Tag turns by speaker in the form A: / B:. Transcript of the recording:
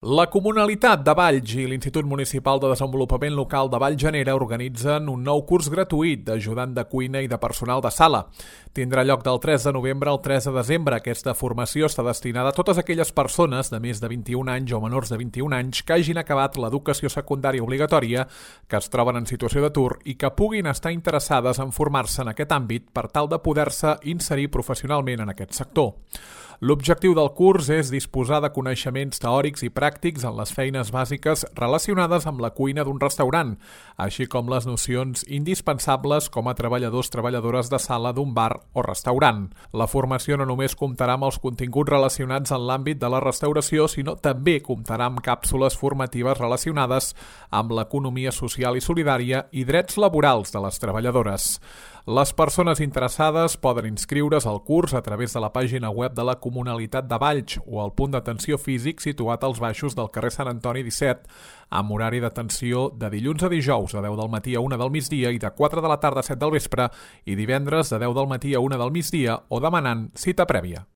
A: La Comunalitat de Valls i l'Institut Municipal de Desenvolupament Local de Vallgenera organitzen un nou curs gratuït d'ajudant de cuina i de personal de sala. Tindrà lloc del 3 de novembre al 3 de desembre. Aquesta formació està destinada a totes aquelles persones de més de 21 anys o menors de 21 anys que hagin acabat l'educació secundària obligatòria, que es troben en situació d'atur i que puguin estar interessades en formar-se en aquest àmbit per tal de poder-se inserir professionalment en aquest sector. L'objectiu del curs és disposar de coneixements teòrics i pràctics en les feines bàsiques relacionades amb la cuina d'un restaurant, així com les nocions indispensables com a treballadors-treballadores de sala d'un bar o restaurant. La formació no només comptarà amb els continguts relacionats en l'àmbit de la restauració, sinó també comptarà amb càpsules formatives relacionades amb l'economia social i solidària i drets laborals de les treballadores. Les persones interessades poden inscriure's al curs a través de la pàgina web de la Comunalitat de Valls o al punt d'atenció físic situat als baixos del carrer Sant Antoni 17, amb horari d'atenció de dilluns a dijous de 10 del matí a 1 del migdia i de 4 de la tarda a 7 del vespre i divendres de 10 del matí a 1 del migdia o demanant cita prèvia.